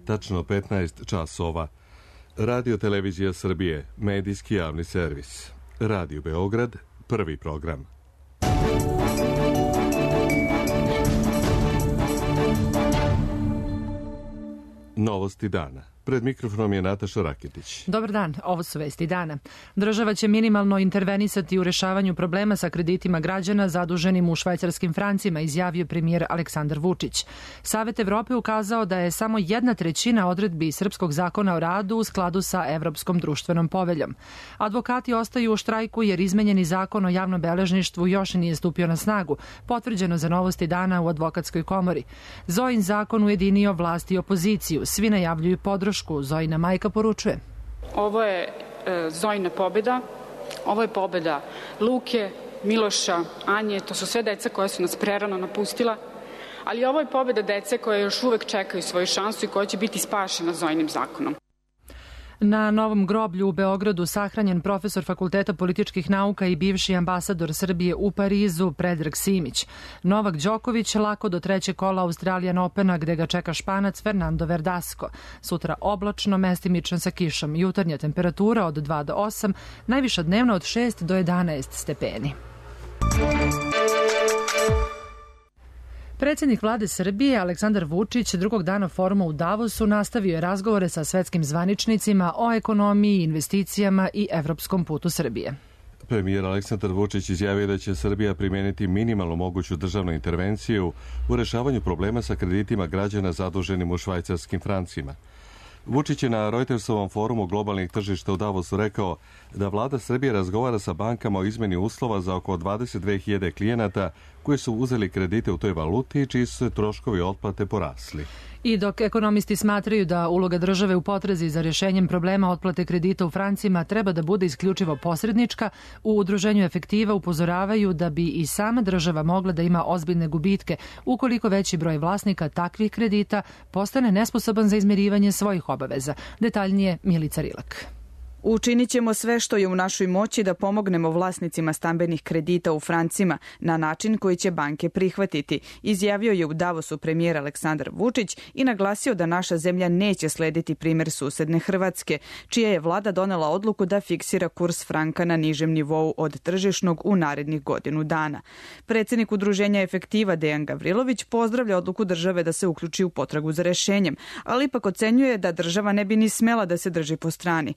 tačno 15 časova. Radio Televizija Srbije, medijski javni servis. Radio Beograd, prvi program. Novosti dana. Pred mikrofonom je Nataša Raketić. Dobar dan, ovo su vesti dana. Država će minimalno intervenisati u rešavanju problema sa kreditima građana zaduženim u švajcarskim francima, izjavio premijer Aleksandar Vučić. Savet Evrope ukazao da je samo 1/3 odredbi Srpskog zakona o radu u skladu sa Evropskom društvenom poveljom. Advokati ostaju u štrajku jer izmenjeni zakon o javnom beležništvu još nije stupio na snagu, potvrđeno za Novosti dana u Advokatskoj komori. Zojin zakon ujedinio vlast i opoziciju, svi najavljuju podršku. Zojina majka poručuje. Ovo je Zojina pobeda, ovo je pobeda Luke, Miloša, Anje, to su sve deca koja su nas prerano napustila, ali ovo je pobeda dece koje još uvek čekaju svoju šansu i koja će biti spašena Zojinim zakonom. Na Novom groblju u Beogradu sahranjen profesor Fakulteta političkih nauka i bivši ambasador Srbije u Parizu Predrag Simić. Novak Đoković lako do 3. kola Australian Opena gde ga čeka Španac Fernando Verdasco. Sutra oblačno, mestimično sa kišom. Jutarnja temperatura od 2 do 8, najviša dnevna od 6 do 11 stepeni. Predsjednik vlade Srbije Aleksandar Vučić drugog dana foruma u Davosu nastavio je razgovore sa svetskim zvaničnicima o ekonomiji, investicijama i evropskom putu Srbije. Premijer Aleksandar Vučić izjavio da će Srbija primijeniti minimalno moguću državnu intervenciju u rešavanju problema sa kreditima građana zaduženim u švajcarskim francima. Vučić je na Reutersovom forumu globalnih tržišta u Davosu rekao da vlada Srbije razgovara sa bankama o izmeni uslova za oko 22.000 klijenata koji su uzeli kredite u toj valuti i čiji su se troškovi otplate porasli. I dok ekonomisti smatraju da uloga države u potrazi za rješenjem problema otplate kredita u francima treba da bude isključivo posrednička, u Udruženju Efektiva upozoravaju da bi i sama država mogla da ima ozbiljne gubitke ukoliko veći broj vlasnika takvih kredita postane nesposoban za izmirivanje svojih obaveza. Detaljnije Milica Rilak. Učinit ćemo sve što je u našoj moći da pomognemo vlasnicima stambenih kredita u francima na način koji će banke prihvatiti, izjavio je u Davosu premijer Aleksandar Vučić i naglasio da naša zemlja neće slediti primjer susedne Hrvatske, čija je vlada donela odluku da fiksira kurs franka na nižem nivou od tržišnog u narednih godinu dana. Predsjednik Udruženja Efektiva Dejan Gavrilović pozdravlja odluku države da se uključi u potragu za rešenjem, ali ipak ocenjuje da država ne bi ni smela da se drži po strani.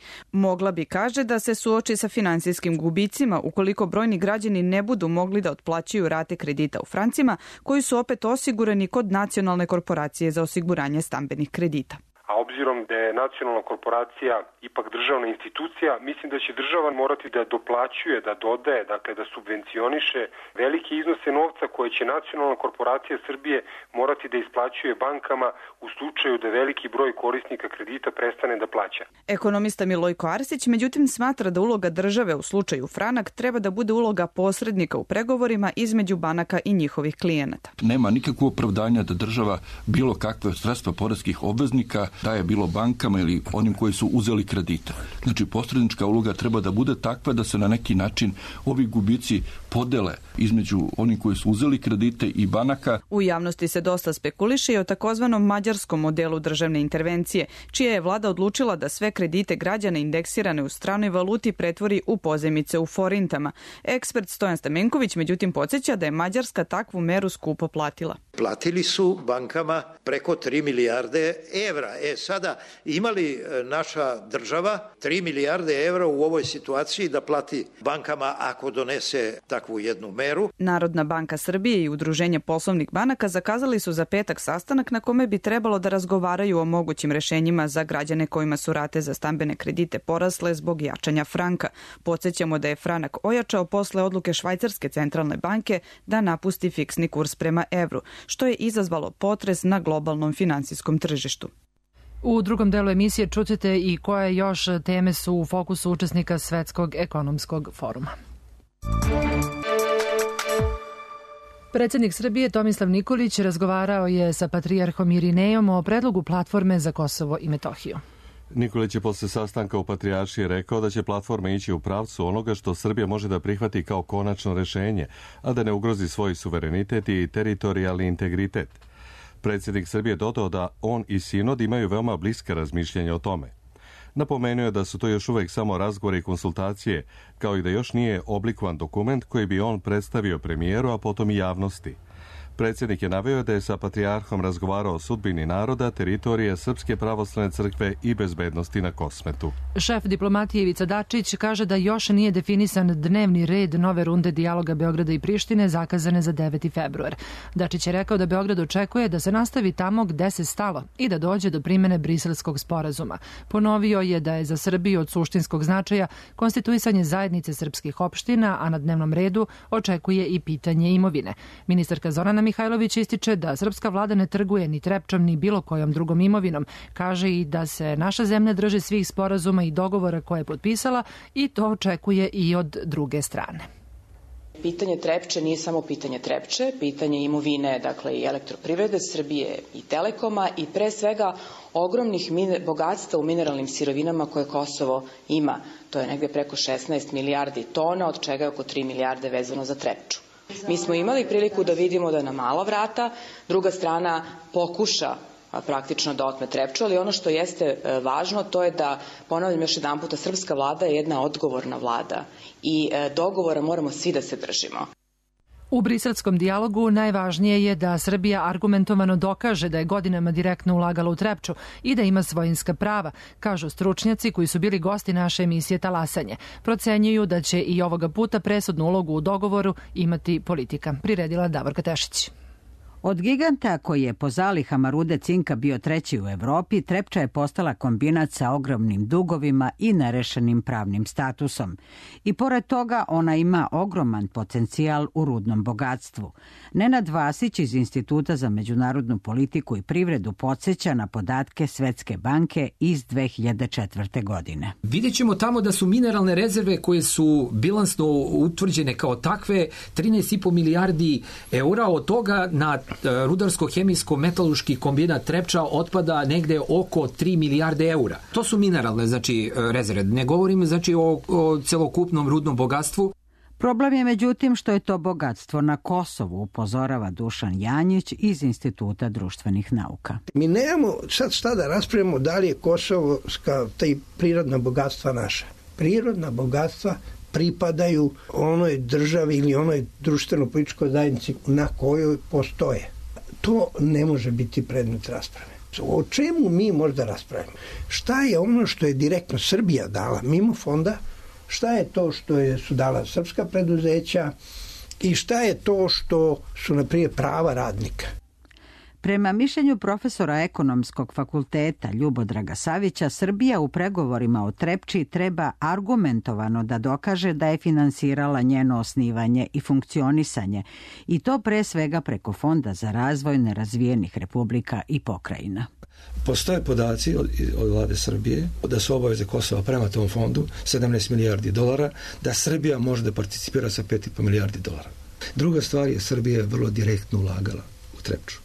Mogla bi, kaže, da se suoči sa finansijskim gubicima ukoliko brojni građani ne budu mogli da otplaćuju rate kredita u francima, koji su opet osigurani kod Nacionalne korporacije za osiguranje stambenih kredita. A obzirom da je nacionalna korporacija ipak državna institucija, mislim da će država morati da doplaćuje, da dodaje, dakle da subvencioniše velike iznose novca koje će Nacionalna korporacija Srbije morati da isplaćuje bankama u slučaju da veliki broj korisnika kredita prestane da plaća. Ekonomista Milojko Arsić, međutim, smatra da uloga države u slučaju Franak treba da bude uloga posrednika u pregovorima između banaka i njihovih klijenata. Nema nikakvog opravdanja da država bilo kakve sredstva poreskih obveznika daje bilo bankama ili onim koji su uzeli kredite. Znači, posrednička uloga treba da bude takva da se na neki način ovi gubici podele između onih koji su uzeli kredite i banaka. U javnosti se dosta spekuliše i o takozvanom mađarskom modelu državne intervencije, čija je vlada odlučila da sve kredite građana indeksirane u stranoj valuti pretvori u pozajmice u forintama. Ekspert Stojan Stamenković međutim podsjeća da je Mađarska takvu meru skupo platila. Platili su bankama preko 3 milijarde evra. Sada imali naša država 3 milijarde evra u ovoj situaciji da plati bankama ako donese takvu jednu meru? Narodna banka Srbije i Udruženje poslovnih banaka zakazali su za petak sastanak na kome bi trebalo da razgovaraju o mogućim rešenjima za građane kojima su rate za stambene kredite porasle zbog jačanja franka. Podsjećamo da je franak ojačao posle odluke Švajcarske centralne banke da napusti fiksni kurs prema evru, što je izazvalo potres na globalnom finansijskom tržištu. U drugom delu emisije čućete i koje još teme su u fokusu učesnika Svetskog ekonomskog foruma. Predsjednik Srbije Tomislav Nikolić razgovarao je sa patrijarhom Irinejom o predlogu platforme za Kosovo i Metohiju. Nikolić je posle sastanka u Patrijaršiji rekao da će platforma ići u pravcu onoga što Srbija može da prihvati kao konačno rešenje, a da ne ugrozi svoj suverenitet i teritorijalni integritet. Predsjednik Srbije dodao da on i sinod imaju veoma bliska razmišljenja o tome. Napomenuo je da su to još uvek samo razgovori i konsultacije, kao i da još nije oblikovan dokument koji bi on predstavio premijeru, a potom i javnosti. Predsjednik je naveo da je sa patrijarhom razgovarao o sudbini naroda, teritorije Srpske pravoslavne crkve i bezbednosti na Kosmetu. Šef diplomatije Ivica Dačić kaže da još nije definisan dnevni red nove runde dijaloga Beograda i Prištine zakazane za 9. februar. Dačić je rekao da Beograd očekuje da se nastavi tamo gde se stalo i da dođe do primene Briselskog sporazuma. Ponovio je da je za Srbiju od suštinskog značaja konstituisanje zajednice srpskih opština, a na dnevnom redu očekuje i pitanje imovine. Ministarka Zorana Mihajlović ističe da srpska vlada ne trguje ni Trepčom ni bilo kojom drugom imovinom. Kaže i da se naša zemlja drži svih sporazuma i dogovora koje je potpisala i to očekuje i od druge strane. Pitanje Trepče nije samo pitanje Trepče, pitanje imovine, dakle i Elektroprivrede Srbije i Telekoma i pre svega ogromnih bogatstva u mineralnim sirovinama koje Kosovo ima. To je negde preko 16 milijardi tona, od čega je oko 3 milijarde vezano za Trepču. Mi smo imali priliku da vidimo da na mala vrata druga strana pokuša praktično da otme Trepču, ali ono što jeste važno to je da, ponavljam još jedan puta, srpska vlada je jedna odgovorna vlada i dogovora moramo svi da se držimo. U briselskom dijalogu najvažnije je da Srbija argumentovano dokaže da je godinama direktno ulagala u Trepču i da ima svojinska prava, kažu stručnjaci koji su bili gosti naše emisije Talasanje. Procenjuju da će i ovoga puta presudnu ulogu u dogovoru imati politika. Priredila Davorka Tešić. Od giganta koji je po zalihama rude cinka bio treći u Evropi, Trepča je postala kombinat sa ogromnim dugovima i nerešenim pravnim statusom. I pored toga ona ima ogroman potencijal u rudnom bogatstvu. Nenad Vasić iz Instituta za međunarodnu politiku i privredu podsjeća na podatke Svetske banke iz 2004. godine. Vidjet ćemo tamo da su mineralne rezerve koje su bilansno utvrđene kao takve 13,5 milijardi eura, od toga na rudarsko-hemijsko-metalurški kombinat Trepča otpada negde oko 3 milijarde eura. To su mineralne, znači, rezerve. Ne govorim, znači, o celokupnom rudnom bogatstvu. Problem je međutim što je to bogatstvo na Kosovu, upozorava Dušan Janjić iz Instituta društvenih nauka. Mi nemamo sad šta da raspravimo da li je kosovska prirodna bogatstva naša. Prirodna bogatstva pripadaju onoj državi ili onoj društveno-političkoj zajednici na kojoj postoje. To ne može biti predmet rasprave. O čemu mi možda raspravimo? Šta je ono što je direktno Srbija dala mimo fonda? Šta je to što su dala srpska preduzeća? I šta je to što su, naprijed, prava radnika? Prema mišljenju profesora Ekonomskog fakulteta Ljubodraga Savića, Srbija u pregovorima o Trepči treba argumentovano da dokaže da je finansirala njeno osnivanje i funkcionisanje, i to pre svega preko Fonda za razvoj nerazvijenih republika i pokrajina. Postoje podaci od vlade Srbije da su obaveze Kosova prema tom fondu 17 milijardi dolara, da Srbija može da participira sa 5,5 milijardi dolara. Druga stvar je, Srbija je vrlo direktno ulagala u Trepču.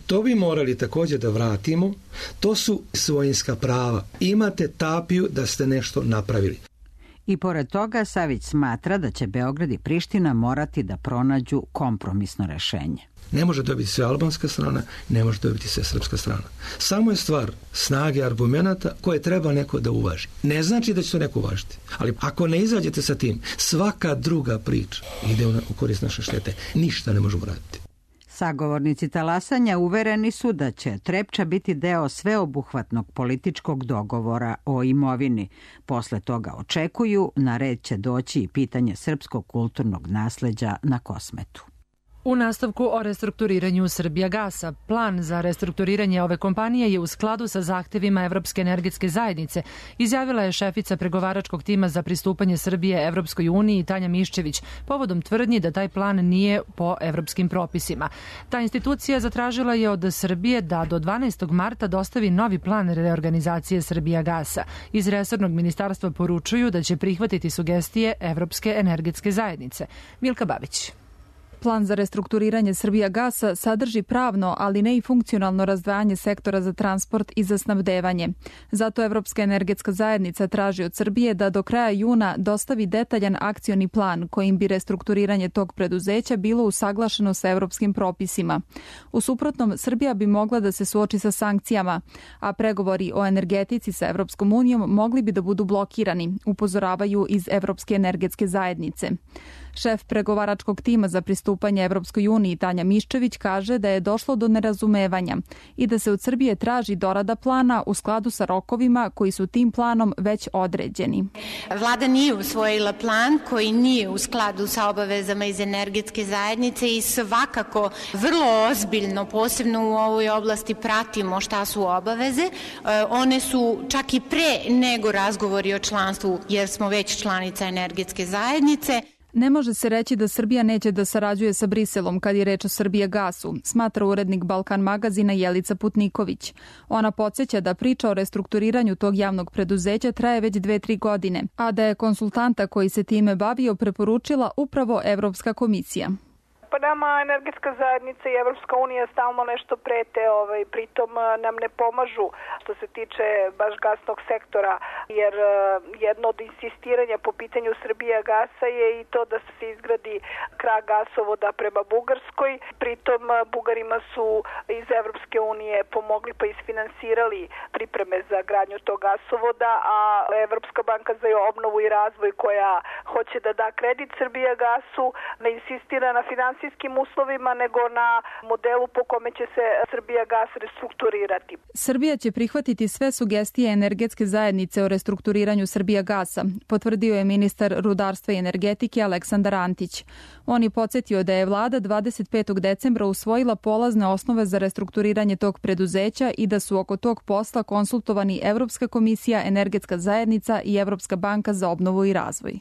To bi morali također da vratimo. To su svojinska prava. Imate tapiju da ste nešto napravili. I pored toga Savić smatra da će Beograd i Priština morati da pronađu kompromisno rešenje. Ne može dobiti sve albanska strana, ne može dobiti sve srpska strana. Samo je stvar snage argumenata koje treba neko da uvaži. Ne znači da će to neko uvažiti. Ali ako ne izađete sa tim, svaka druga priča ide u korist naše štete. Ništa ne možemo raditi. Sagovornici talasanja uvereni su da će Trepča biti deo sveobuhvatnog političkog dogovora o imovini. Posle toga očekuju, na red će doći i pitanje srpskog kulturnog nasleđa na Kosmetu. U nastavku o restrukturiranju Srbijagasa. Plan za restrukturiranje ove kompanije je u skladu sa zahtevima Evropske energetske zajednice, izjavila je šefica pregovaračkog tima za pristupanje Srbije Evropskoj uniji Tanja Miščević, povodom tvrdnji da taj plan nije po evropskim propisima. Ta institucija zatražila je od Srbije da do 12. marta dostavi novi plan reorganizacije Srbijagasa. Iz resornog ministarstva poručuju da će prihvatiti sugestije Evropske energetske zajednice. Milka Babić. Plan za restrukturiranje Srbijagasa sadrži pravno, ali ne i funkcionalno razdvajanje sektora za transport i za snabdevanje. Zato Evropska energetska zajednica traži od Srbije da do kraja juna dostavi detaljan akcioni plan kojim bi restrukturiranje tog preduzeća bilo usaglašeno sa evropskim propisima. U suprotnom, Srbija bi mogla da se suoči sa sankcijama, a pregovori o energetici sa Evropskom unijom mogli bi da budu blokirani, upozoravaju iz Evropske energetske zajednice. Šef pregovaračkog tima za pristupanje Evropskoj uniji Tanja Miščević kaže da je došlo do nerazumevanja i da se od Srbije traži dorada plana u skladu sa rokovima koji su tim planom već određeni. Vlada nije usvojila plan koji nije u skladu sa obavezama iz energetske zajednice i svakako vrlo ozbiljno, posebno u ovoj oblasti, pratimo šta su obaveze. One su čak i pre nego razgovori o članstvu, jer smo već članica energetske zajednice. Ne može se reći da Srbija neće da sarađuje sa Briselom kad je reč o Srbijagasu, smatra urednik Balkan magazina Jelica Putniković. Ona podsjeća da priča o restrukturiranju tog javnog preduzeća traje već 2-3 godine, a da je konsultanta koji se time bavio preporučila upravo Evropska komisija. Pa nama energetska zajednica i Evropska unija stalno nešto prete, pritom nam ne pomažu što se tiče baš gasnog sektora, jer jedno od insistiranja po pitanju Srbijagasa je i to da se izgradi krak gasovoda prema Bugarskoj. Pritom Bugarima su iz Evropske unije pomogli pa isfinansirali pripreme za gradnju tog gasovoda, a Evropska banka za obnovu i razvoj koja hoće da da kredit Srbijagasu ne insistira na finansijskim uslovima nego na modelu po kome će se Srbijagas restrukturirati. Srbija će prihvatiti sve sugestije energetske zajednice o restrukturiranju Srbijagasa, potvrdio je ministar rudarstva i energetike Aleksandar Antić. On je podsjetio da je vlada 25. decembra usvojila polazne osnove za restrukturiranje tog preduzeća i da su oko tog posla konsultovani Evropska komisija, energetska zajednica i Evropska banka za obnovu i razvoj.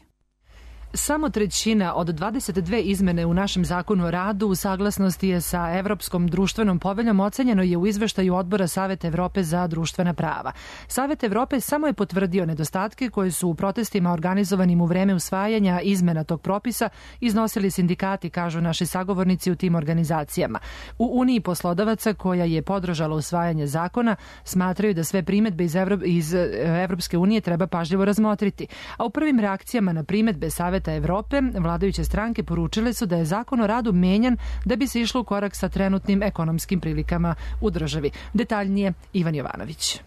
Samo trećina od 22 izmene u našem zakonu o radu u saglasnosti je sa Evropskom društvenom poveljom, ocenjeno je u izveštaju Odbora Saveta Evrope za društvena prava. Savet Evrope samo je potvrdio nedostatke koje su u protestima organizovanim u vreme usvajanja izmena tog propisa iznosili sindikati, kažu naši sagovornici u tim organizacijama. U Uniji poslodavaca, koja je podržala usvajanje zakona, smatraju da sve primedbe iz Evropske unije treba pažljivo razmotriti. A u prvim reakcijama na primedbe Saveta Evrope, vladajuće stranke poručile su da je zakon o radu menjan da bi se išlo u korak sa trenutnim ekonomskim prilikama u državi. Detaljnije Ivan Jovanović.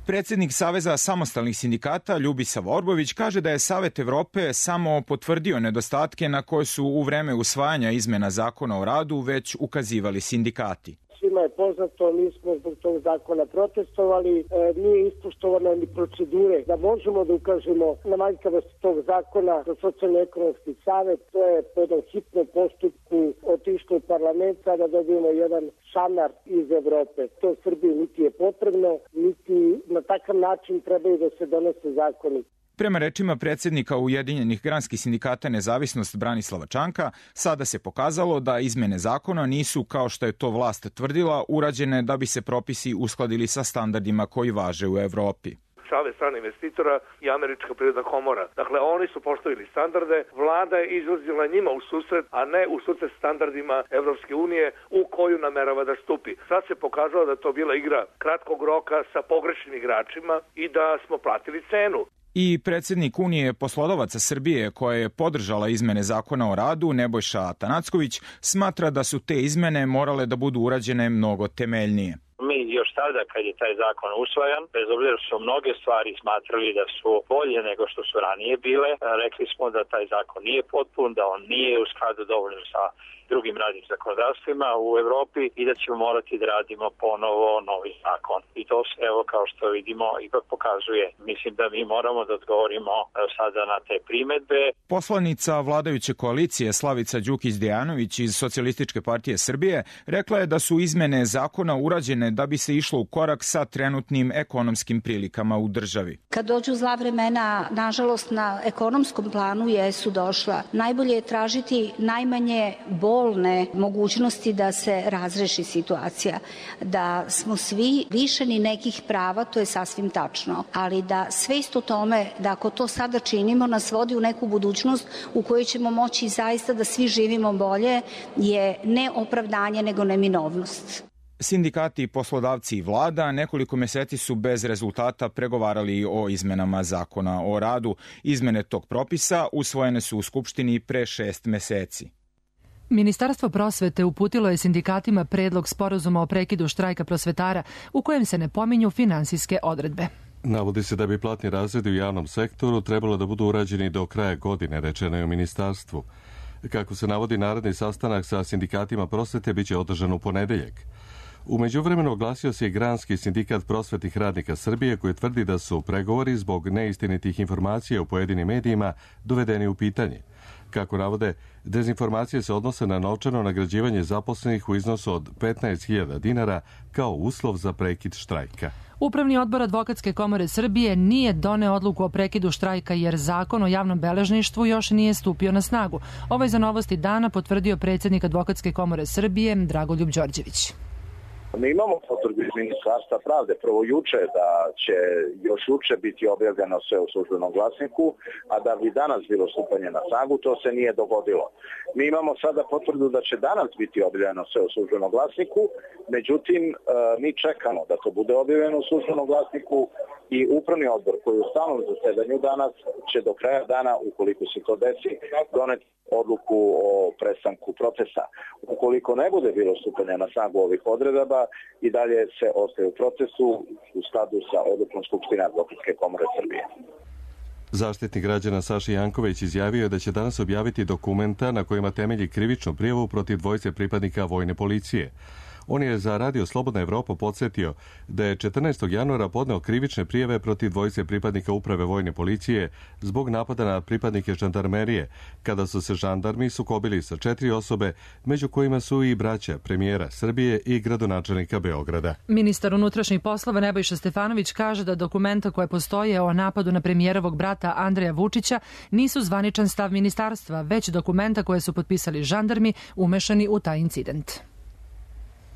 Predsednik Saveza samostalnih sindikata Ljubisava Orbović kaže da je Savet Evrope samo potvrdio nedostatke na koje su u vreme usvajanja izmena zakona o radu već ukazivali sindikati. Svima je poznato, mi smo zbog tog zakona protestovali, nije ispoštovana ni procedure da možemo da ukažemo na manjkavost tog zakona za socijalno-ekonomski savet. To je po jednom hitnom postupku otišlo u parlament, sada dobijemo jedan šamar iz Evrope. To Srbiji niti je potrebno, niti na takav način trebaju da se donose zakoni. Prema rečima predsednika Ujedinjenih granskih sindikata Nezavisnost Branislava Čanka, sada se pokazalo da izmene zakona nisu, kao što je to vlast tvrdila, urađene da bi se propisi uskladili sa standardima koji važe u Evropi. Savez stranih investitora i Američka privredna komora. Dakle, oni su postavili standarde, vlada je izlazila njima u susret, a ne u susret standardima Evropske unije u koju namerava da stupi. Sad se pokazalo da je to bila igra kratkog roka sa pogrešnim igračima i da smo platili cenu. I predsednik Unije poslodavaca Srbije, koja je podržala izmene zakona o radu, Nebojša Atanacković, smatra da su te izmene morale da budu urađene mnogo temeljnije. Mi još tada kad je taj zakon usvajan, bez obzira što su mnoge stvari smatrali da su bolje nego što su ranije bile, rekli smo da taj zakon nije potpun, da on nije u skladu dovoljno sa drugim radnim zakonodavstvima u Evropi i da ćemo morati da radimo ponovo novi zakon. I to se, evo, kao što vidimo, ipak pokazuje. Mislim da mi moramo da odgovorimo sada na te primedbe. Poslanica vladajuće koalicije Slavica Đukić-Dejanović iz Socijalističke partije Srbije rekla je da su izmene zakona urađene da bi se išlo u korak sa trenutnim ekonomskim prilikama u državi. Kad dođu zla vremena, nažalost, na ekonomskom planu jesu došla. Najbolje je tražiti najmanje bol bolne mogućnosti da se razreši situacija. Da smo svi lišeni nekih prava, to je sasvim tačno, ali da svest o tome da ako to sada činimo nas vodi u neku budućnost u kojoj ćemo moći zaista da svi živimo bolje je ne opravdanje nego neminovnost. Sindikati, poslodavci i vlada nekoliko meseci su bez rezultata pregovarali o izmenama zakona o radu. Izmene tog propisa usvojene su u Skupštini pre 6 meseci. Ministarstvo prosvete uputilo je sindikatima predlog sporazuma o prekidu štrajka prosvetara u kojem se ne pominju finansijske odredbe. Navodi se da bi platni razredi u javnom sektoru trebalo da budu urađeni do kraja godine, rečeno je u ministarstvu. Kako se navodi, naredni sastanak sa sindikatima prosvete biće održan u ponedeljak. U međuvremenu oglasio se i Granski sindikat prosvetnih radnika Srbije koji tvrdi da su pregovori zbog neistinitih informacija u pojedinim medijima dovedeni u pitanje. Kako navode, dezinformacije se odnose na novčano nagrađivanje zaposlenih u iznosu od 15.000 dinara kao uslov za prekid štrajka. Upravni odbor Advokatske komore Srbije nije doneo odluku o prekidu štrajka jer zakon o javnom beležništvu još nije stupio na snagu. Ovo je za Novosti dana potvrdio predsjednik Advokatske komore Srbije Dragoljub Đorđević. Mi imamo potvrdu iz Ministarstva pravde prvo juče da će još juče biti objavljeno sve u službenom glasniku, a da bi danas bilo stupanje na snagu, to se nije dogodilo. Mi imamo sada potvrdu da će danas biti objavljeno sve u službenom glasniku, međutim mi čekamo da to bude objavljeno u službenom glasniku i upravni odbor koji je u stalnom zasedanju danas će do kraja dana, ukoliko se to desi, doneti odluku o prestanku procesa. Ukoliko ne bude bilo stupanja na snagu ovih odredaba i dalje se ostaje u procesu u skladu sa odlukom Skupštine Advokatske komore Srbije. Zaštitnik građana Saša Janković izjavio je da će danas objaviti dokumenta na kojima temelji krivičnu prijavu protiv dvojice pripadnika vojne policije. On je za Radio Slobodna Evropa podsjetio da je 14. januara podneo krivične prijave protiv dvojice pripadnika uprave vojne policije zbog napada na pripadnike žandarmerije, kada su se žandarmi sukobili sa 4 osobe, među kojima su i braća premijera Srbije i gradonačelnika Beograda. Ministar unutrašnjih poslova Nebojša Stefanović kaže da dokumenta koje postoje o napadu na premijerovog brata Andreja Vučića nisu zvaničan stav ministarstva, već dokumenta koje su potpisali žandarmi umešani u taj incident.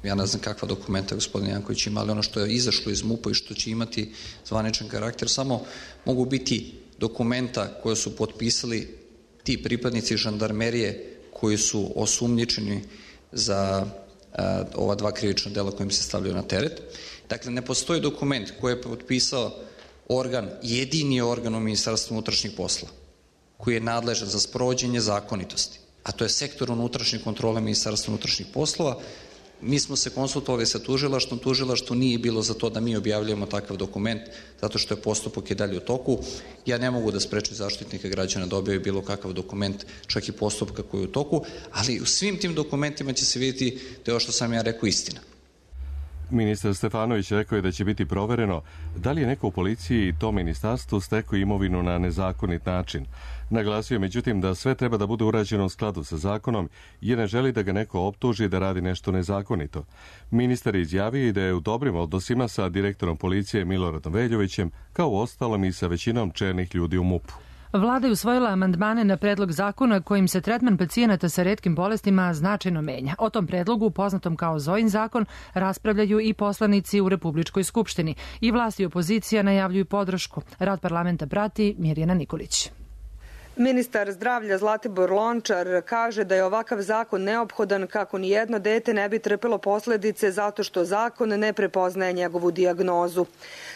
Ja ne znam kakva dokumenta gospodin Janković ima, ali ono što je izašlo iz MUP-a i što će imati zvaničan karakter, samo mogu biti dokumenta koje su potpisali ti pripadnici žandarmerije koji su osumnjičeni za ova 2 krivična dela kojim se stavljaju na teret. Dakle, ne postoji dokument koji je potpisao organ, jedini organ u Ministarstvu unutrašnjih posla, koji je nadležan za sprovođenje zakonitosti, a to je sektor unutrašnje kontrole Ministarstva unutrašnjih poslova. Mi smo se konsultovali sa tužilaštvom, tužilaštvo nije bilo za to da mi objavljujemo takav dokument, zato što je postupak i dalje u toku. Ja ne mogu da sprečim Zaštitnika građana da objavi bilo kakav dokument, čak i postupka koji je u toku, ali u svim tim dokumentima će se vidjeti da je ovo što sam ja rekao istina. Ministar Stefanović rekao je da će biti provereno da li je neko u policiji i tom ministarstvu stekao imovinu na nezakonit način. Naglasio je međutim da sve treba da bude urađeno u skladu sa zakonom jer ne želi da ga neko optuži da radi nešto nezakonito. Ministar je izjavio i da je u dobrim odnosima sa direktorom policije Miloradom Veljovićem, kao uostalom i sa većinom čelnih ljudi u MUP-u. Vlada je usvojila amandmane na predlog zakona kojim se tretman pacijenata sa retkim bolestima značajno menja. O tom predlogu, poznatom kao Zojin zakon, raspravljaju i poslanici u Republičkoj skupštini. I vlast i opozicija najavljuju podršku. Rad parlamenta prati Mirjana Nikolić. Ministar zdravlja Zlatibor Lončar kaže da je ovakav zakon neophodan kako ni jedno dete ne bi trpelo posledice zato što zakon ne prepoznaje njegovu dijagnozu.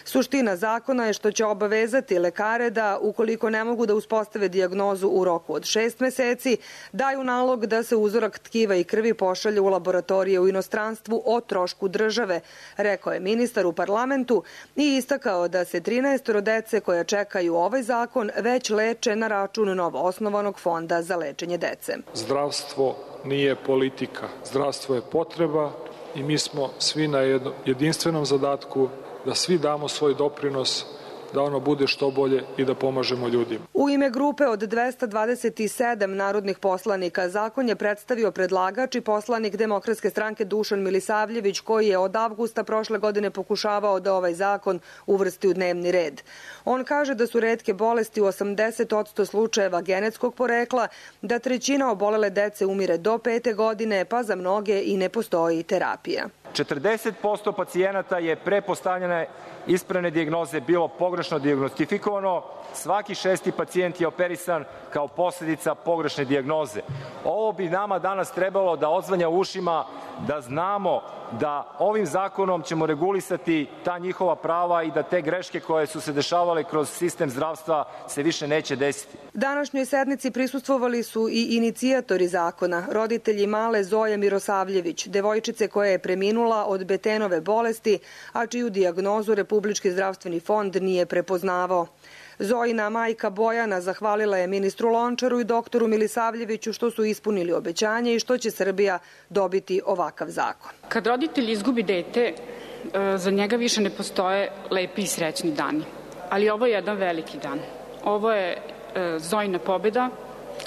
Suština zakona je što će obavezati lekare da, ukoliko ne mogu da uspostave dijagnozu u roku od 6 meseci, daju nalog da se uzorak tkiva i krvi pošalje u laboratorije u inostranstvu o trošku države, rekao je ministar u parlamentu i istakao da se 13 dece koja čekaju ovaj zakon već leče na račun novoosnovanog fonda za lečenje dece. Zdravstvo nije politika. Zdravstvo je potreba i mi smo svi na jedinstvenom zadatku da svi damo svoj doprinos da ono bude što bolje i da pomažemo ljudima. U ime grupe od 227 narodnih poslanika zakon je predstavio predlagač i poslanik Demokratske stranke Dušan Milisavljević, koji je od avgusta prošle godine pokušavao da ovaj zakon uvrsti u dnevni red. On kaže da su retke bolesti u 80% slučajeva genetskog porekla, da trećina obolele dece umire do 5. godine, pa za mnoge i ne postoji terapija. 40% pacijenata je pre postavljene ispravne dijagnoze bilo pogrešno dijagnostifikovano, svaki 6. pacijent je operisan kao posljedica pogrešne dijagnoze. Ovo bi nama danas trebalo da odzvanja u ušima, da znamo da ovim zakonom ćemo regulisati ta njihova prava i da te greške koje su se dešavale kroz sistem zdravstva se više neće desiti. Današnjoj sednici prisustvovali su i inicijatori zakona, roditelji male Zoje Mirosavljević, devojčice koja je preminula od Betenove bolesti, a čiju dijagnozu Republički zdravstveni fond nije prepoznavao. Zojina majka Bojana zahvalila je ministru Lončaru i doktoru Milisavljeviću što su ispunili obećanje i što će Srbija dobiti ovakav zakon. Kad roditelj izgubi dete, za njega više ne postoje lepi i srećni dani. Ali ovo je jedan veliki dan. Ovo je Zojina pobeda,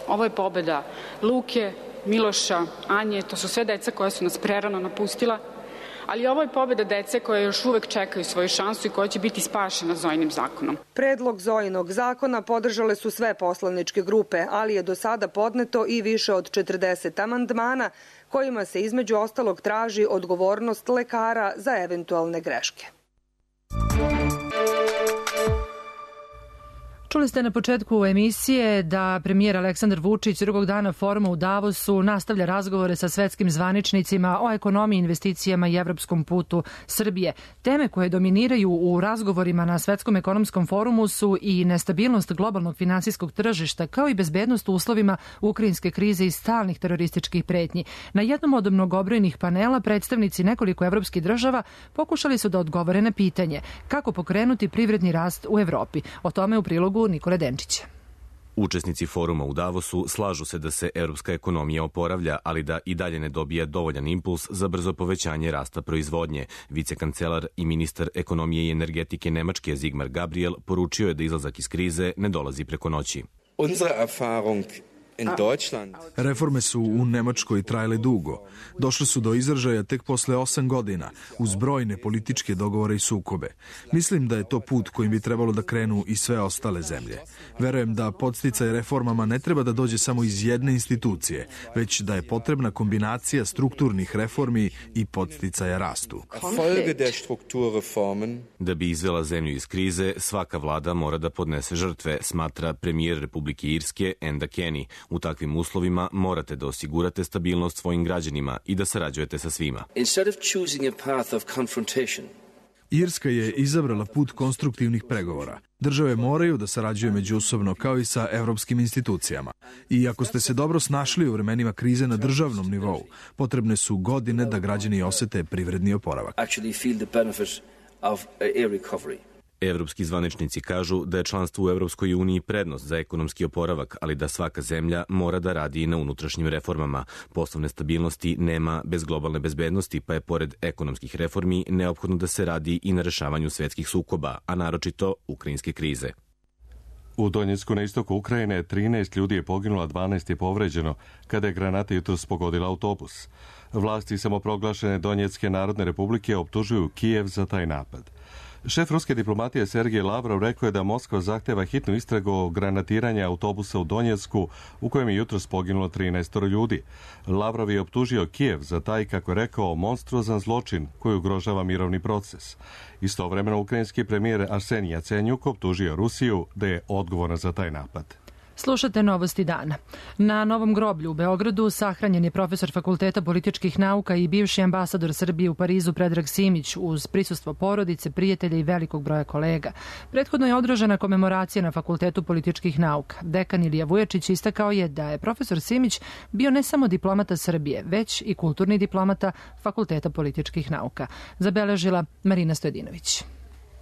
ovo je pobeda Luke, Miloša, Anje, to su sve deca koja su nas prerano napustila, ali ovo je pobeda dece koje još uvek čekaju svoju šansu i koja će biti spašena Zojinim zakonom. Predlog Zojinog zakona podržale su sve poslaničke grupe, ali je do sada podneto i više od 40 amandmana kojima se između ostalog traži odgovornost lekara za eventualne greške. Čuli ste na početku emisije da premijer Aleksandar Vučić drugog dana foruma u Davosu nastavlja razgovore sa svetskim zvaničnicima o ekonomiji, investicijama i evropskom putu Srbije. Teme koje dominiraju u razgovorima na Svetskom ekonomskom forumu su i nestabilnost globalnog finansijskog tržišta, kao i bezbednost u uslovima ukrajinske krize i stalnih terorističkih pretnji. Na jednom od mnogobrojnih panela predstavnici nekoliko evropskih država pokušali su da odgovore na pitanje kako pokrenuti privredni rast u Evropi. O tome u prilogu Nikole Denčića. Učesnici foruma u Davosu slažu se da se evropska ekonomija oporavlja, ali da i dalje ne dobija dovoljan impuls za brzo povećanje rasta proizvodnje. Vicekancelar i ministar ekonomije i energetike Nemačke Sigmar Gabriel poručio je da izlazak iz krize ne dolazi preko noći. Reforme su u Nemačkoj trajale dugo. Došle su do izražaja tek posle 8 godina, uz brojne političke dogovore i sukobe. Mislim da je to put kojim bi trebalo da krenu i sve ostale zemlje. Verujem da podsticaj reformama ne treba da dođe samo iz jedne institucije, već da je potrebna kombinacija strukturnih reformi i podsticaja rastu. Da bi izvela zemlju iz krize, svaka vlada mora da podnese žrtve, smatra premijer Republike Irske Enda Kenny. U takvim uslovima morate da osigurate stabilnost svojim građanima i da sarađujete sa svima. Irska je izabrala put konstruktivnih pregovora. Države moraju da sarađuju međusobno kao i sa evropskim institucijama. I ako ste se dobro snašli u vremenima krize na državnom nivou, potrebne su godine da građani osete privredni oporavak. Evropski zvaničnici kažu da je članstvo u Evropskoj uniji prednost za ekonomski oporavak, ali da svaka zemlja mora da radi i na unutrašnjim reformama. Poslovne stabilnosti nema bez globalne bezbednosti, pa je pored ekonomskih reformi neophodno da se radi i na rešavanju svetskih sukoba, a naročito ukrajinske krize. U Donjecku na istoku Ukrajine 13 ljudi je poginulo, a 12 je povređeno kada je granata jutros pogodila autobus. Vlasti samoproglašene Donjecke narodne republike optužuju Kijev za taj napad. Šef ruske diplomatije Sergej Lavrov rekao je da Moskva zahteva hitnu istragu o granatiranja autobusa u Donjecku u kojem je jutros poginulo 13 ljudi. Lavrov je optužio Kijev za taj, kako je rekao, monstruozan zločin koji ugrožava mirovni proces. Istovremeno ukrajinski premijer Arsenij Jacenjuk optužio Rusiju da je odgovorna za taj napad. Slušate Novosti dana. Na Novom groblju u Beogradu sahranjen je profesor Fakulteta političkih nauka i bivši ambasador Srbije u Parizu Predrag Simić uz prisustvo porodice, prijatelja i velikog broja kolega. Prethodno je održana komemoracija na Fakultetu političkih nauka. Dekan Ilija Vujačić istakao je da je profesor Simić bio ne samo diplomata Srbije, već i kulturni diplomata Fakulteta političkih nauka. Zabeležila Marina Stojadinović.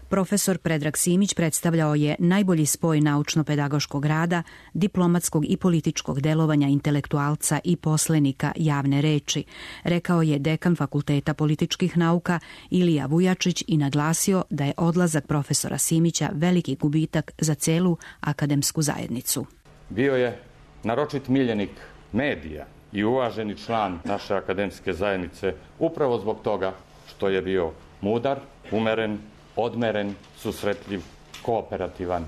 Profesor Predrag Simić predstavljao je najbolji spoj naučno-pedagoškog rada, diplomatskog i političkog delovanja intelektualca i poslenika javne reči, rekao je dekan Fakulteta političkih nauka Ilija Vujačić i naglasio da je odlazak profesora Simića veliki gubitak za celu akademsku zajednicu. Bio je naročit miljenik medija i uvaženi član naše akademske zajednice upravo zbog toga što je bio mudar, umeren, odmeren, susretljiv, kooperativan,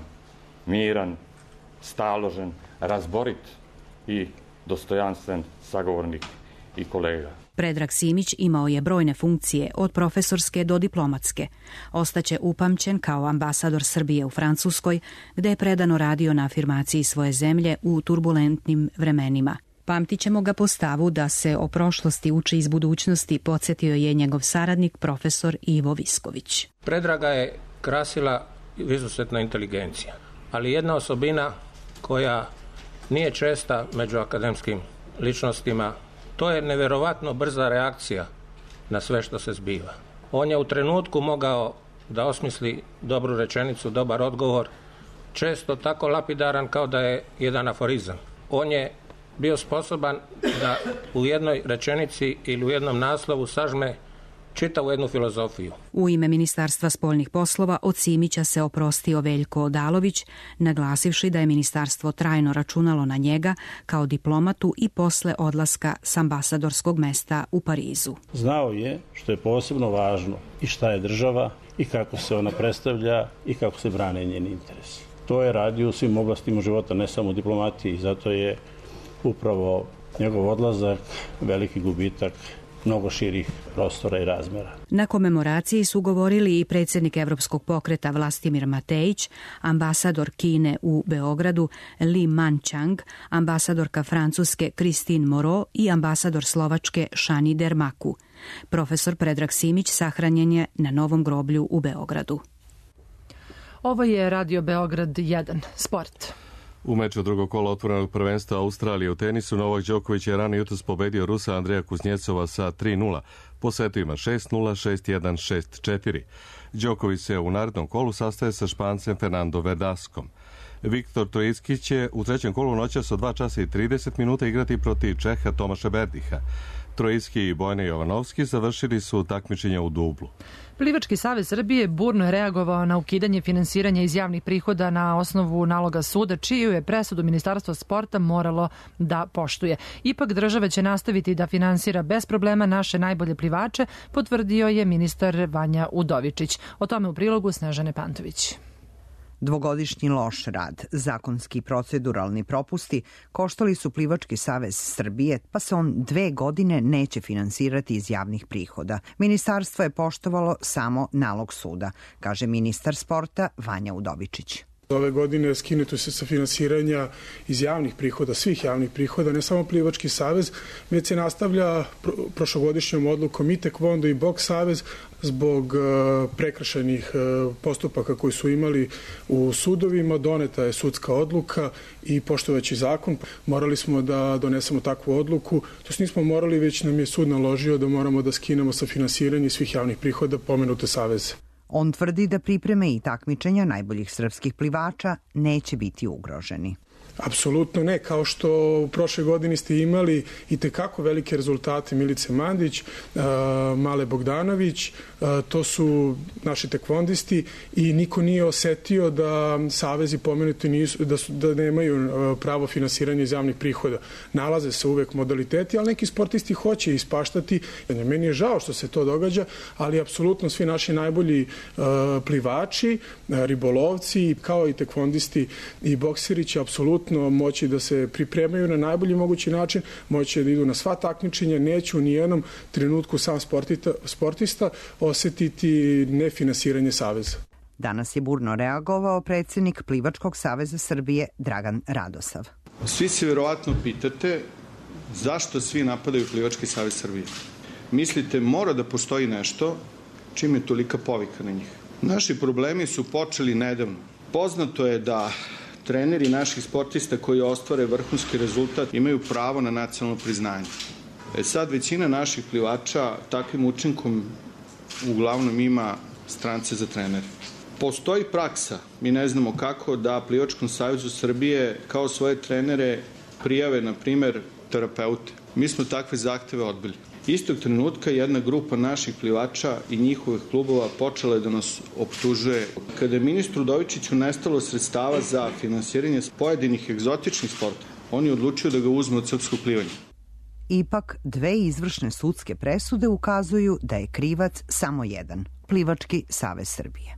miran, staložen, razborit i dostojanstven sagovornik i kolega. Predrag Simić imao je brojne funkcije, od profesorske do diplomatske. Ostaće upamćen kao ambasador Srbije u Francuskoj, gde je predano radio na afirmaciji svoje zemlje u turbulentnim vremenima. Pamtit ćemo ga po stavu da se o prošlosti uči iz budućnosti, podsjetio je njegov saradnik profesor Ivo Visković. Predraga je krasila izuzetna inteligencija, ali jedna osobina koja nije česta među akademskim ličnostima, to je neverovatno brza reakcija na sve što se zbiva. On je u trenutku mogao da osmisli dobru rečenicu, dobar odgovor, često tako lapidaran kao da je jedan aforizam. On je bio sposoban da u jednoj rečenici ili u jednom naslovu sažme čitavu jednu filozofiju. U ime Ministarstva spoljnih poslova od Simića se oprostio Veljko Odalović, naglasivši da je ministarstvo trajno računalo na njega kao diplomatu i posle odlaska s ambasadorskog mesta u Parizu. Znao je što je posebno važno i šta je država i kako se ona predstavlja i kako se brane njeni interesi. To je radio u svim oblastima života, ne samo u diplomatiji, zato je upravo njegov odlazak veliki gubitak mnogo širih prostora i razmera. Na komemoraciji su govorili i predsjednik Evropskog pokreta Vlastimir Matejić, ambasador Kine u Beogradu Li Manchang, ambasadorka Francuske Christine Moreau i ambasador Slovačke Šani Dermaku. Profesor Predrag Simić sahranjen je na novom groblju u Beogradu. Ovo je Radio Beograd 1. Sport. U meču drugog kola otvorenog prvenstva Australije u tenisu Novak Đoković je rano jutros pobedio Rusa Andreja Kuznjecova sa 3-0, po setovima 6-0, 6-1, 6-4. Đoković se u narednom kolu sastaje sa Špancem Fernando Verdaskom. Viktor Trojicki će u trećem kolu noćas od 2 časa i 30 minuta igrati protiv Čeha Tomaša Berdiha. Trojicki i Bojana Jovanovski završili su takmičenje u dublu. Plivački savez Srbije burno je reagovao na ukidanje finansiranja iz javnih prihoda na osnovu naloga suda, čiju je presudu Ministarstvo sporta moralo da poštuje. Ipak država će nastaviti da finansira bez problema naše najbolje plivače, potvrdio je ministar Vanja Udovičić. O tome u prilogu Snežane Pantović. Dvogodišnji loš rad, zakonski i proceduralni propusti koštali su Plivački savez Srbije, pa se on 2 godine neće finansirati iz javnih prihoda. Ministarstvo je poštovalo samo nalog suda, kaže ministar sporta Vanja Udovičić. Ove godine skinuto se sa finansiranja iz javnih prihoda, svih javnih prihoda, ne samo Plivački savez, već se nastavlja prošlogodišnjom odlukom i Tekvondo i Boks savez zbog prekršajnih postupaka koji su imali u sudovima. Doneta je sudska odluka i poštovajući zakon morali smo da donesemo takvu odluku. To nismo morali, već nam je sud naložio da moramo da skinemo sa finansiranja svih javnih prihoda pomenute saveze. On tvrdi da pripreme i takmičenja najboljih srpskih plivača neće biti ugroženi. Apsolutno ne, kao što u prošle godini ste imali i tekako velike rezultate Milice Mandić, Male Bogdanović, to su naši tekvondisti i niko nije osetio da savezi pomenuti nisu, da nemaju pravo finansiranja iz javnih prihoda. Nalaze se uvek modaliteti, ali neki sportisti hoće ispaštati. Meni je žao što se to događa, ali apsolutno svi naši najbolji plivači, ribolovci, kao i tekvondisti i bokseri će apsolutno moći da se pripremaju na najbolji mogući način, moći da idu na sva takmičenja, neće u nijednom trenutku sam sportista osetiti nefinansiranje saveza. Danas je burno reagovao predsjednik Plivačkog saveza Srbije Dragan Radosav. Svi se verovatno pitate zašto svi napadaju Plivački savez Srbije. Mislite, mora da postoji nešto čim je tolika povika na njih. Naši problemi su počeli nedavno. Poznato je da treneri naših sportista koji ostvare vrhunski rezultat imaju pravo na nacionalno priznanje. Sad većina naših plivača takvim učinkom uglavnom ima strance za trenere. Postoji praksa, mi ne znamo kako, da Plivačkom savezu Srbije kao svoje trenere prijave, na primer, terapeute. Mi smo takve zahteve odbili. Istog trenutka jedna grupa naših plivača i njihovih klubova počela je da nas optužuje. Kada je ministru Udovičiću nestalo sredstava za finansiranje pojedinih egzotičnih sporta, on je odlučio da ga uzme od srpskog plivanja. Ipak, dve izvršne sudske presude ukazuju da je krivac samo jedan, Plivački savez Srbije.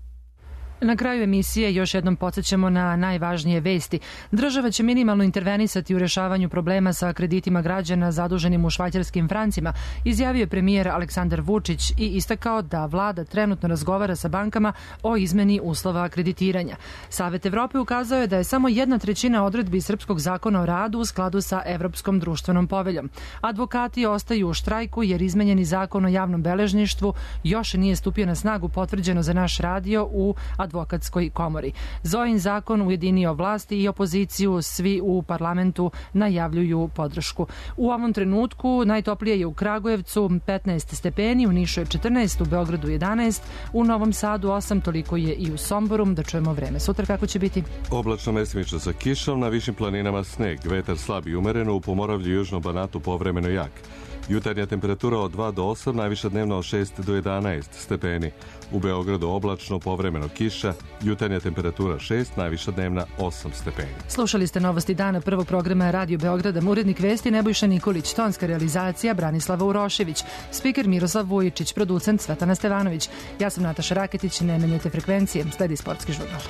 Na kraju emisije još jednom podsjećamo na najvažnije vesti. Država će minimalno intervenisati u rešavanju problema sa kreditima građana zaduženim u švajcarskim francima, izjavio je premijer Aleksandar Vučić i istakao da vlada trenutno razgovara sa bankama o izmeni uslova kreditiranja. Savet Evrope ukazao je da je samo 1/3 odredbi Srpskog zakona o radu u skladu sa Evropskom društvenom poveljom. Advokati ostaju u štrajku jer izmenjeni zakon o javnom beležništvu još nije stupio na snagu, potvrđeno za naš radio u Advokatskoj komori. Zojin zakon ujedinio vlasti i opoziciju, svi u parlamentu najavljuju podršku. U ovom trenutku najtoplije je u Kragujevcu 15 stepeni, u Nišu je 14, u Beogradu 11, u Novom Sadu 8, toliko je i u Somboru. Da čujemo vreme sutra kako će biti. Oblačno mestimično sa kišom, na višim planinama sneg, vetar slab i umereno, u Pomoravlju i Južnom Banatu povremeno jak. Jutarnja temperatura od 2 do 8, najviša dnevna od 6 do 11 stepeni. U Beogradu oblačno, povremeno kiša, jutarnja temperatura 6, najviša dnevna 8 stepeni. Slušali ste novosti dana prvog programa Radio Beograda, urednik vesti Nebojša Nikolić, tonska realizacija Branislava Urošević, spiker Miroslav Vujičić, producent Svetana Stevanović. Ja sam Nataša Raketić, ne menjajte frekvencije, sledi sportski žurnal.